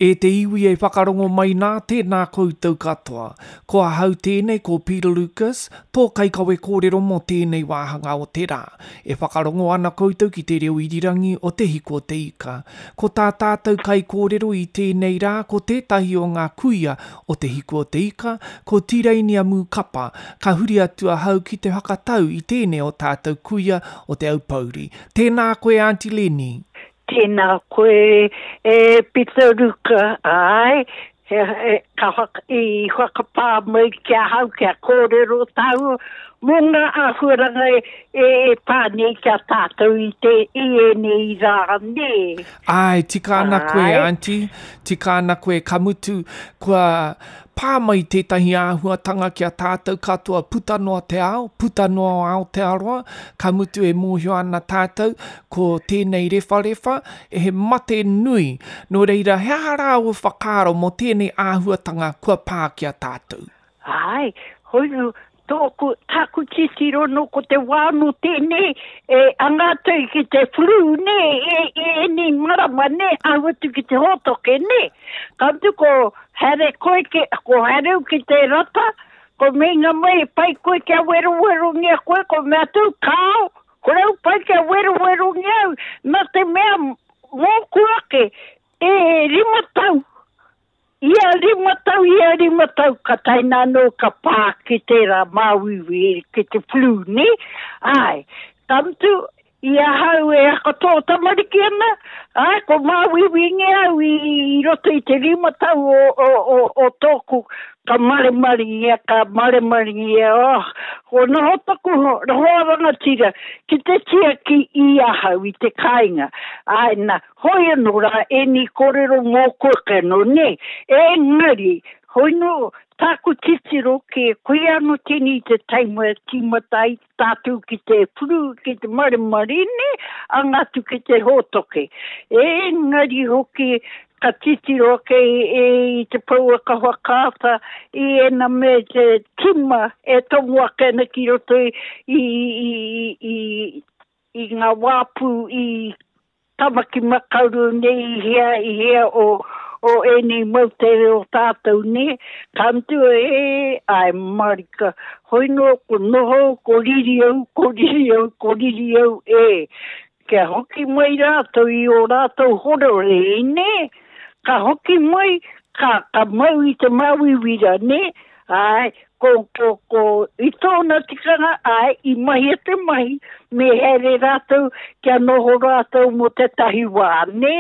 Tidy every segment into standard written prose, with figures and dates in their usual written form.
E te iwi e whakarongo mai nā, tēnā koutou katoa. Ko ahau tēnei ko Peter Lucas, tō kaikawe kōrero mō tēnei wāhanga o te rā. E whakarongo ana koutou ki te reo irirangi o Te Hiko o Te Ika. Ko tā tātou kaikōrero i tēnei rā ko tētahi o ngā kuia o Te Hiko o Te Ika, ko Tireinia Mūkapa. Ka huri atu ahau ki te whakatau i tēnei o tātou kuia o Te Aupōuri. Tēnā koe Aunty Lenny. Tēnā koe e Pita Ruka, āe, he, he, ka whaka, i whakapā mai ki ahau kia kōrero tāua mō ngā āhuaranga e, e, e pā nei ki a tātou i, te, i ēnei rā, nē. Āe, tika ana koe, Aunty, tika ana koe, ka mutu, kua pā mai tētahi āhuatanga ki a tātou katoa puta noa te ao, puta noa o Aotearoa, ka mutu e mōhio ana tātou ko tēnei rewharewha he mate nui. Nō reira, he aha rā ō whakaaro mō tēnei āhuatanga kua pā ki a tātou? Āe, hoi Tōku, tāku titiro nō ko te wā nō tēnei e anga atu ki te flu nē, e, e ēnei marama nē, ahu atu ki te hōtoke nē. Ka mutu ko haere koe ki, ko haere au ki te rata, ko meinga mai e pai koe kia werowerongia koe, ko mea atu, kāo, kore au pai kia werowerongia au, nā te mea mōku ake, e 5 tau Ia 5 tau, ia 5 tau, ka tae nā anō ka pā ki tērā māuiui, ki te flu, nē? Āe. Ka mutu, i ahau e hakatō tamariki ana, āe, ko māuiuingia au i, i roto i te 5 tau o, o, o, o tōku, ka maremarengia, ka maremarengia, oh, ko noho taku hoa rangatira ki te tiaki i ahau i te kāinga. Āe, nā, Hoi anō rā ēnei kōrero mōku ake anō, nē? Engari, hoi nō tāku titiro ki, koia anō tēnei te taima e tīmata ai tātou ki te puru, ki te maremare, nē, anga atu ki te hōtoke. Engari hoki, ka titiro ake i te pouaka whakaata i ēnā me te tima e tomo ake ana ki roto i, i, i, i, i ngā wāpu i Tamaki Makaurau nei i hea, i hea o, o ēnei moutere o tātou nē, ka mutu e, āe marika, hoi nō ko noho, ko riri au, ko riri au, ko riri au e, kia hoki mai rātou i ō rātou horore nē, ka hoki mai, ka, ka mau i te māuiui rā nē, āe, ko, ko, ko, i tōna tikanga, āe, i mahia te mahi, me haere rātou kia noho rātou mō tētahi wā, nē?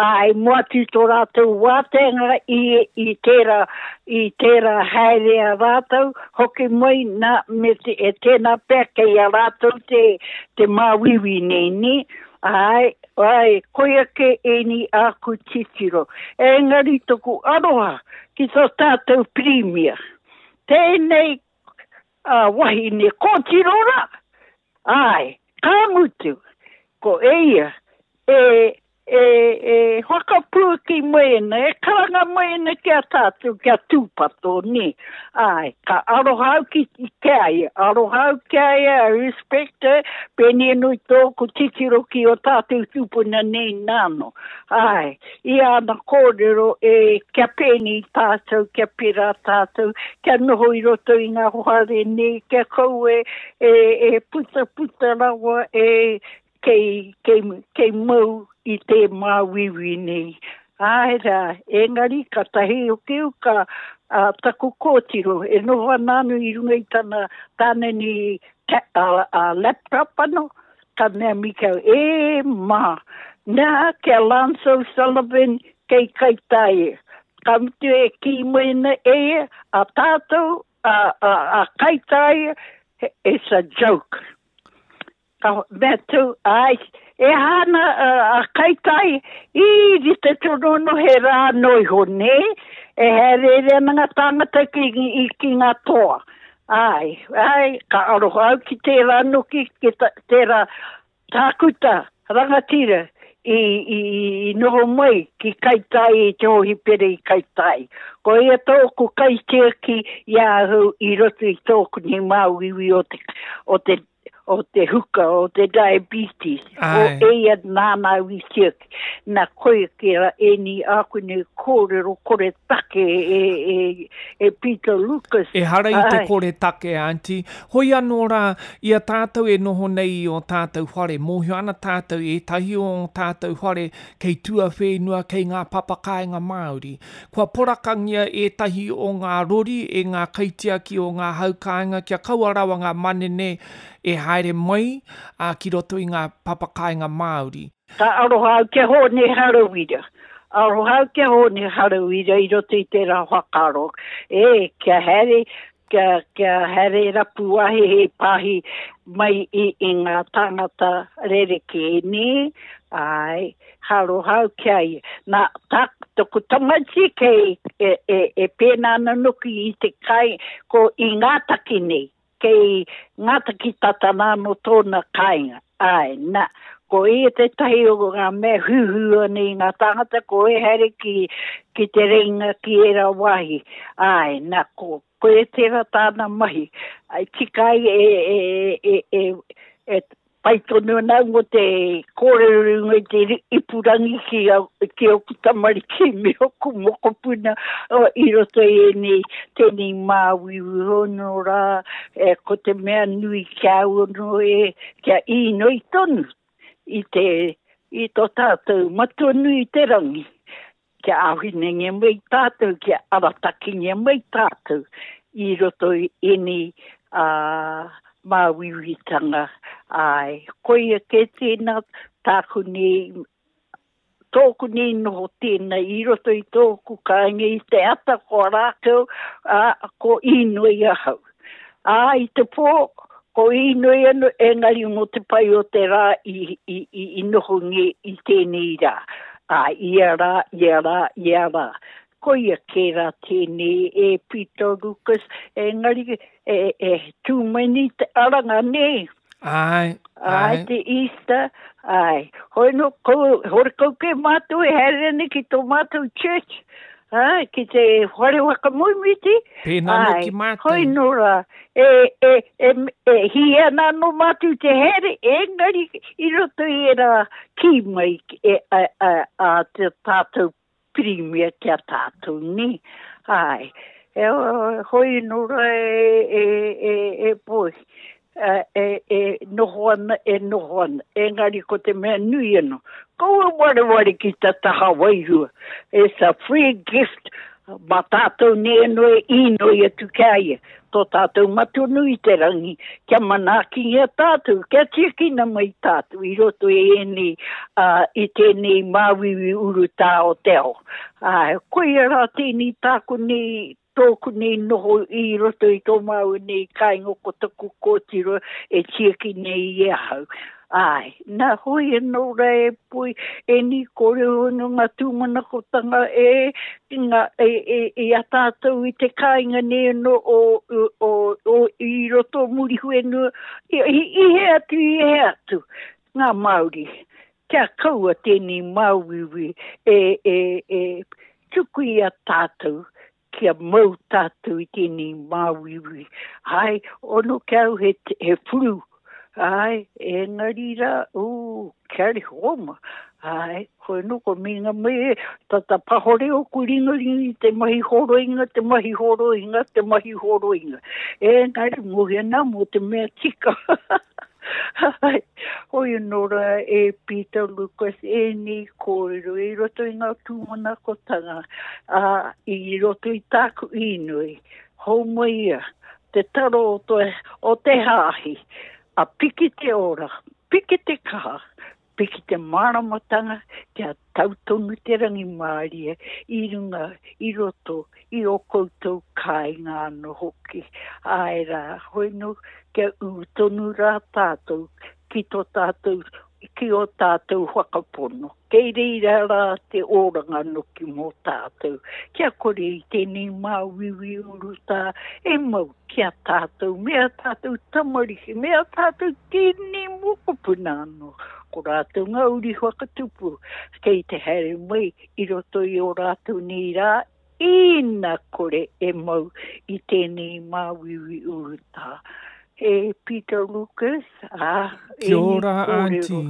Āe, mō atu i tō rātou wāteanga i, i tērā, i tērā haere a rātou, hoki mai, nā, me te, e tēnā pea kei a rātou te, te māuiui nei, nē? Āe, āe, koia kē ēnei āku titiro. Engari toku aroha ki tō tātou Pirimia. Tēnei a wahine kōtiro rā, āe, ka mutu, ko eia e, e, e whakapuaki mai ana, e karanga mai ana ki a tātou kia tūpato, nē. Āe, ka aroha au ki, ki a ia, aroha au ki a ia, I respect her, pēnei anō i tōku titiro ki ō tātou tūpuna nei nāno. Āe, i āna kōrero e kia pēnei tātou, kia pērā tātou, kia noho i roto i ngā whare nei, kia kaua e, e putaputa rawa e kei, kei, kei mau i te māuiui nei. Āe rā, engari katahi hoki au ka a, taku kōtiro e noho ana anō i runga i tana tāna nei ta, a, a laptop anō, Ka mea Mikau, E, ma, nā ki a Lance O'Sullivan kei Kaitaia. Ka mutu e kī mai ana e ia, a tātou, a, a, a Kaitaia, it's a joke. Ka mea atu, ai, e aha ana a, a Kaitaia, i rite tonu anō he rā noa iho, nē? E haereere ana ngā tāngata ki, ki, ki ngā toa. Āe, āe, ka aroha au ki tērā noki, ki tērā tākuta rangatira i, i, i noho mai ki Kaitaia i te hōhipera i Kaitaia. Ko ia tōku kaitiaki i a ahau i roto i tōku nei māuiui o te, o te, o te huka, o te diabetes. Ko eia nāna au i tiaki. Na, koia ki ra ēnei āku nei kōrero kore take e, e, e Peter Lucas. Ehara i te kore take, Aunty. Hoi anō rā, i a tātou e noho nei i ō tātou whare, mōhio ana tātou ētahi o ō tātou whare kei tuawhenua, kei ngā papakāinga Māori. Kua porakangia ētahi o ngā rori e ngā kaitiaki o ngā hau kāinga kia kaua rawa ngā manene e haere mai ki roto i ngā papakāinga Māori. Ka aroha au ki a Hōne Harawira. Aroha au ki a Hōne Harawira i roto i tērā whakaaro. E, kia haere, kia, kia haere rapu wāhi hei pāhi mai i, i ngā tāngata rerekē, nē? Āe, ka aroha au ki a ia. Nā, tā, toku tamaiti kei, e, e, e pēnā ana noki i te kai, ko i Ngātaki nei. Kei Ngātaki tata nā nō tōna kāinga. Āe, nā, ko ia tētahi o ngā mea huhua nei i ngā tāngata, ko ia haere ki, ki te reinga ki ērā wāhi. Āe, nā, ko, koia tērā tāna mahi. Ai, tika ai e, e, e, e, e, Pai tonu ana au mō te kōrero i runga i te ipurangi ki, ki ōku tamariki me ōku mokopuna i roto i ēnei, tēnei māuiui hono rā, e, ko te mea nui ki a au anō e, kia īnoi tonu i te, i tō tātou Matua nui i te rangi, kia āwhinangia mai tātou, kia aratakingia mai tātou i roto i ēnei māuiuitanga. Āe, koia kē tēnā tāku nei, tōku nei noho tēnā i roto i tōku kāinga i te ata ko rākau, ā, ko īnoi ahau. Ā, i te pō, ko īnoi anō, engari mō te pai o te rā i, i, i, i nohongia i tēnei rā. Ā, ia rā, ia rā, ia rā. Koia kē rā tēnei e Peter Lucas, engari e, e tū mai nei te aranga, nē? Āe, āe. Āe, te Easter, āe. Hoi nō, ko, horekau kē mātou e haere ana ki tō mātou church, āe, ki te whare whakamoemiti. Pēnā nō ki mātou. Hoi nō rā, e, e, e, e hī ana anō mātou te haere, engari i roto i ērā kī mai e, a, a, a te tātou Pirimia ki a tātou, nē? Āe. E, hoi nō rā e, e, e, e poi, e, e noho ana, e noho ana. Engari ko te mea nui anō, kaua wareware ki ta taha wairua. It's a free gift mā tātou nei anō e īnoi atu ki a ia. Tō tātou Matua nui i te rangi, kia manaakingia tātou, kia tiakina mai tātou i roto i ēnei, ā, i tēnei māuiui urutā o te ao. Ā, koia rā tēnei tāku nei, tōku nei noho i roto i tō māua nei kāinga ko taku kōtiro e tiaki nei i ahau. Āe, nā hoi anō rā e poi ēnei kōrero anō ngā tūmanakotanga e, ngā, e, e, i a tātou i te kāinga nei anō o, o, o, o i roto o Muriwhenua, i, i, i hea atu, i hea atu, ngā Māori. Kia kaua tēnei māuiui e, e, e tuku i a tātou kia mau tātou i tēnei māuiui. Āe, ono ki au he, he whuru. Āe, engari rā, ū, kia homa. Āe, koe no ko minga mai e, tata pahore oku ringaringa i te mahi horoinga, te mahi horoinga, te mahi horoinga. Engari, mohi ana mō te mea tika. Hoi anō rā e Peter Lucas ēnei kōrero i roto i ngā tūmanakotanga, ā, i roto i tāku īnoi, hou mai ia te taro o te, o te hāhi, a piki te ora, piki te kaha, Piki te māramatanga kia tau tonu te rangimārie i runga, i roto, i ō koutou kāinga anō hoki. Āe rā, hoi nō, kia ū tonu rā tātou ki tō tātou, ki ō tātou whakapono. Kei reira rā te oranga noki mō tātou. Kia kore i tēnei māuiui urutā e mau ki a tātou, me a tātou tamariki, me a tātou tini mokopuna anō. Ko rātou ngā uri whakatupu kei te haere mai i roto i ō rātou nei rā, ina kore e mau i tēnei māuiui urutā. E Peter Lucas, ā, Kia ora, Aunty.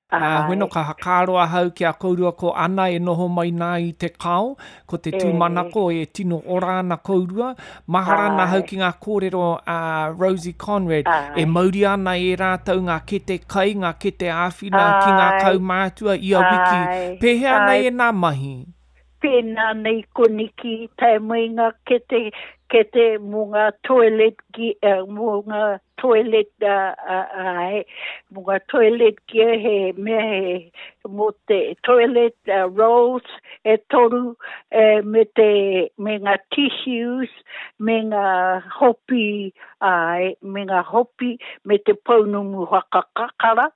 Ā, hono ka hakaaro ahau ki a kourua ko Ana e noho mai nā i te kao, ko te tūmanako e tino ora ana kourua. Mahara ana ahau ki ngā kōrero a Rosie Conrad, e mauria ana e rātou ngā kete kai, ngā kete āwhina ki ngā kaumātua ia wiki. Pēhea ana ēnā mahi? Pēnā nei koniki tae mai ngā kete, kete mō ngā toilet, mō ngā toilet, āe, mō ngā toilet gear he mea he, mō te toilet rolls e toru, me te, me ngā tissues, me ngā hopi, āe, me ngā hopi, me te pounamu whakakakara,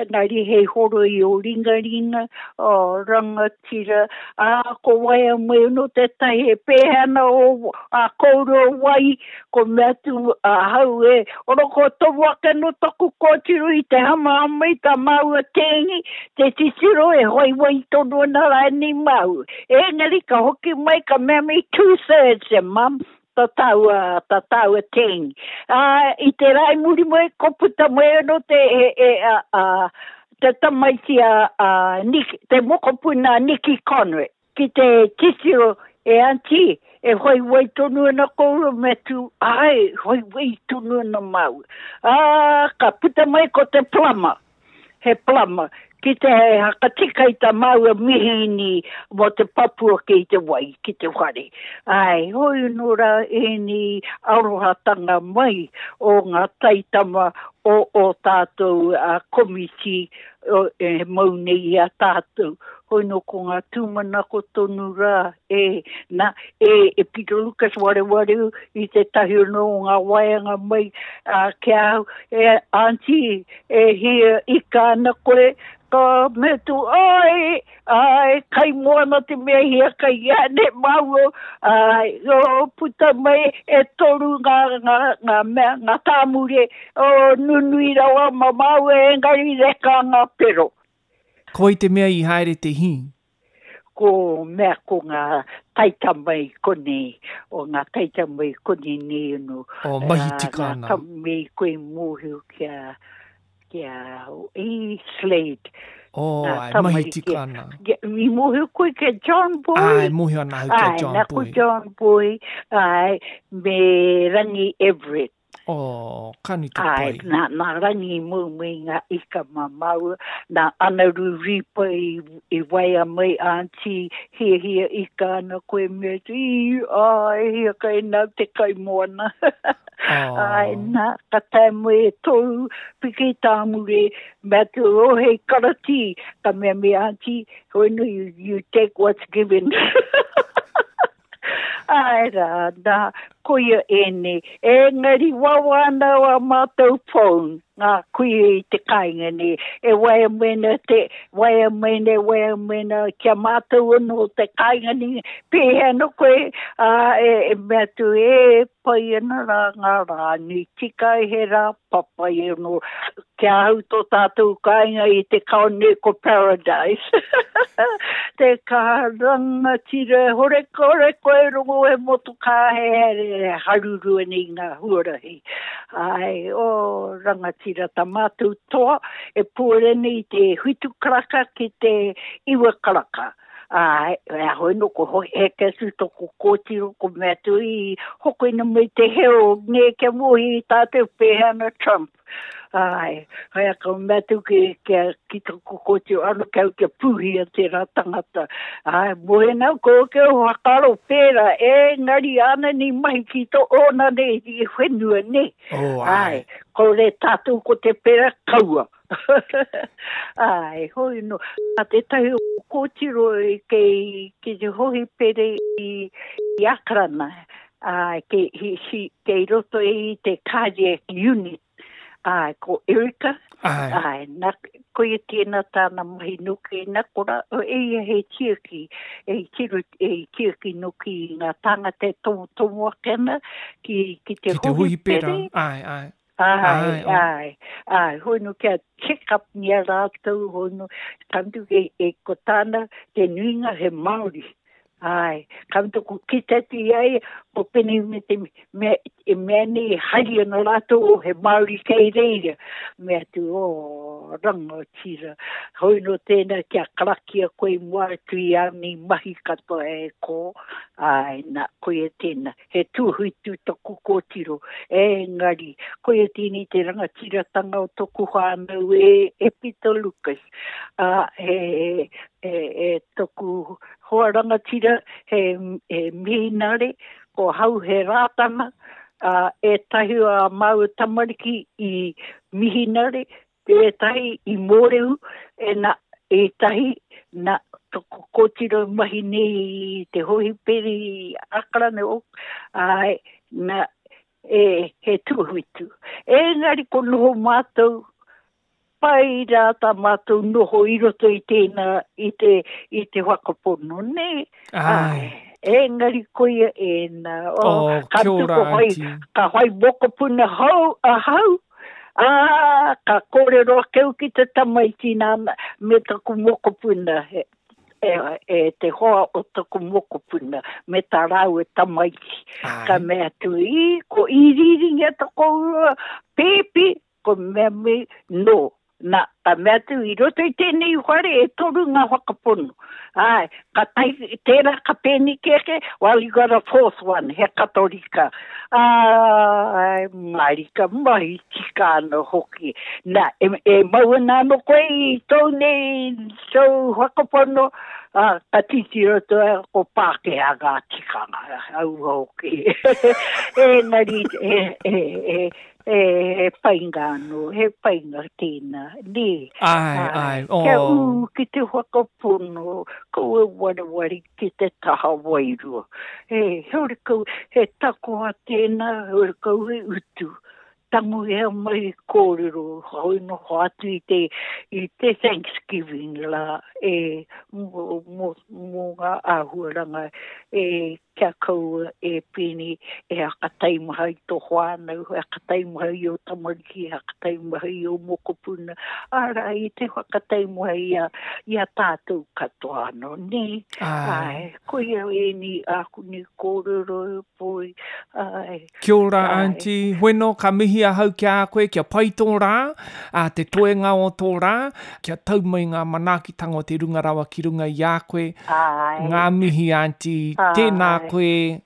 engari hei horoi ō ringaringa, ō rangatira, ā, ko waea mai anō tētahi e pēhea ana ō, ā kōrua wai, ko mea atu ahau e, ora kua tomo ake anō taku kōtiro i te hamahama i tā māua tēngi, te titiro e waiwai tonu ana rānei māu. Engari ka hoki mai ka mea mai two thirds e mum, ta tāua, ta tāua tēngi. Ā, i te rā i muri mai, ko puta mai anō te, e, e, a, a, te tamaiti a, a Nick, te mokopuna a Nicky Conrad, ki te titiro, e aunty, e whaiwai tonu ana kōrua me atu, āe, whaiwai tonu ana māua. Ā, ka puta mai ko te plumber. he plumber, ki te whakatika i tā māua mihīni mō te papu ake i te wai ki te whare. Āe, hoi anō rā ēnei arohatanga mai o ngā taitama o ō tātou komiti e mau nei i a tātou. Hoi nō ko ngā tūmanako tonu rā, e, na, e, e Peter Lucas warewareu i tētahi anō o ngā waeanga mai ki a au, e, Aunty, E hia ika ana koe, ka mea atu, Āe, āe, kai moana te mea hiakai i a nei māua, āe, oh, puta mai e toru ngā, ngā, ngā mea, ngā tāmure, oh, nunui rawa ma māua engari reka ngā pero. Ko wai te mea i haere te hī? Ko mea ko ngā taitama i konei, o ngā taitama i konei nei anō. O, mahi tika ana. Ngā tama i koe mōhio ki a, ki a, i Slade. O, ai, mahi tika ana. I mōhio koe ki a John Boy? Ai, mōhio ana au ki a John Boy. Ai, nā ko John Boy, ai, me Rangi Everett. Oh, ka nui te pai. Āe, nā, nā Rangi i mau mai ngā ika mā māua, nā Anaru Ripa i, i waea mai, Aunty, hiahia ika ana koe me atu, i, āe, hiakai nāu te kaimoana. Oh. Āe, nā, ka tae mai e tōu piki tāmure, me atu, oh, hei karatī, ka mea me Aunty, hoi no, you, you take what's given. Āe rā, nā, koia ēnei. Engari wawa ana ā mātou phone, ngā kuia i te kāinga nei, e waea mai ana te, waea mai ana, waea mai ana ki a mātou anō te kāinga nei, pēhea ana koe, ā, e, e mea atu, e pai ana rā ngā rā nui tika ai he rā papai anō. Ki ahau tō tātou kāinga i te kao nei ko Paradise. Te kaha rangatira, hore kore koe rongo he motokā he haere haruru ana i ngā huarahi. Āe, oh rangatira tā mātou toa e puare ana i te whitu karaka ki te iwa karaka. Āe, e hoi no ko hoi heke atu toko kōtiro ko mea atu i hokina mai te heo nē kia mōhi i tātou pēhea ana Trump. Āe, hoi a ka mea atu ki, ki, ki toko kōtiro ano kia au kia pūhia tērā tangata. Āe, mōhi ana ko ke o whakaaro pērā, engari āna nei mahi ki tō ōna nei i whenua nei. Oh, āe. Āe, kore tātou ko te pērā kaua. Āe, hoi no. Nā tētahi o kōtiro kei ki te hohipere i, i Akarana, āe, kei, he, she, kei roto i te cardiac unit, āe, ko Erica, Āe. āe, nā, koia tēnā tāna mahi noki, nā kora, e ia he tiaki, e tiro, e tiaki noki i ngā tāngata e tomotomo ake ana ki, ki te Ki te hohipera, hohipere. āe, āe. Āe, āe, āe, hoi no kia check up ni a rātou, hoi no, ka mutu e, e, ko tāna, te nuinga he Māori. Āe, ka mutu ko kite atu i a ia, ko Pene me te mea, e mea nei e hari ana rātou, oh, he Māori kei reira. Mea atu, oh, Rangatira. Hoi nō tēnā kia karakia koe i mua atu i ānei mahi katoa e kō, āe nā, koia tēnā. He tūhuitu taku kōtiro, engari, koia tēnei te rangatiratanga o toku whānau e, e Peter Lucas. Ā, he, he, he, toku hoa rangatira, he, he mihinare, ko hau he Rātana, ā, ētahi o ā māua tamariki i mihinare, ētahi i Mōrehu, e nā, ētahi, nā, toko kōtiro i mahi nei i te hōhiperi i Ākarana, āe, nā, e, he tūhuitu. Engari ko noho mātou, pai rā tā mātou noho i roto i tēnā, i te, i te whakapono, nē? Āe. Engari koia ēnā. Oh, oh, ka kia ora, whai, ka whai mokopuna hou ahau, ā, ka kōrero ake au ki te tamaiti nāna, me taku mokopuna, e, e, e te hoa o taku mokopuna, me tā rāua tamaiti. Āe. Ka mea atu, i, ko iriiringia ta kōrua pēpi, Ko mea me, no. Na, ka mea atu, i roto i tēnei whare e toru ngā whakapono. Āe, ka tae, tērā ka pēneki ake, well, you got a fourth one, he Katorika. Āe, mārika, mahi tika ana hoki. Na, e, e mau ana anō koe i tōu nei, tōu whakapono, ā, ka titiro atu ai, ko Pākehā ngā tikanga, aua hoki. Engari, e, e, e, E, he painga anō, he painga tēnā, nē. Āe, āe, oh. Kia ū ki te whakapono, kaua wareware ki te taha wairua. E, horekau, he takoha tēnā, horekau he utu. Tangohia mai kōrero, hoi noho atu i te, i te Thanksgiving rā, e, mō, mō, mō ngā āhuaranga e Kia kaua e pēnei e hakataimaha i tō whānau, e hakataimaha i ō tamariki, e hakataimaha i ō mokopuna, arā, i te whakataimaha i a, i a tātou katoa anō, nē? Āe. Koia ēnei āku nei kōrero e poi, āe. Kia ora Aunty, Hoeno ka mihi ahau ki a koe kia pai tō rā, ā, te toenga o tō rā, kia tau mai ngā manaakitanga o te runga rawa ki runga i a koe. Āe. Ngā mihi Aunty, tēnā koe.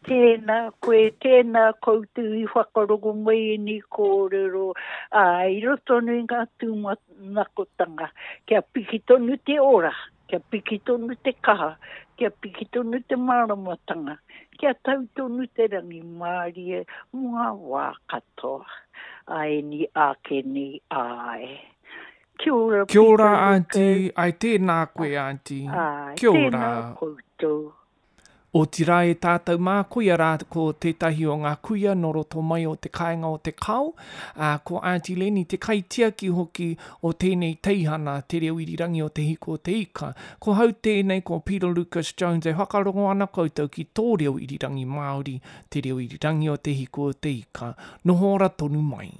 Tēnā koe, tēnā koutou i whakarongo mai ēnei kōrero, ā, i roto tonu i ngā tūmanakotanga, kia piki tonu te ora. Kia piki tonu te kaha, kia piki tonu te māramatanga, kia tau tonu te rangimārie mō ngā wā katoa. Āeni āke nei āe. Kia ora Kia ora Peter Aunty, Lucas. ai tēnā koe Aunty. Āe, Kia ora. tēnā koutou. Otirā e tātou mā, koia rā ko tētahi o ngā kuia nō roto mai o te kāinga o Te Kao, ā, ko Aunty Leni te kaitiaki hoki o tēnei teihana, Te Reo Irirangi o Te Hiko o Te Ika. Ko hau tēnei, ko Peter Lucas Jones e whakarongo ana koutou ki tō reo irirangi Māori, Te Reo Irirangi o Te Hiko o Te Ika. Noho ora tonu mai.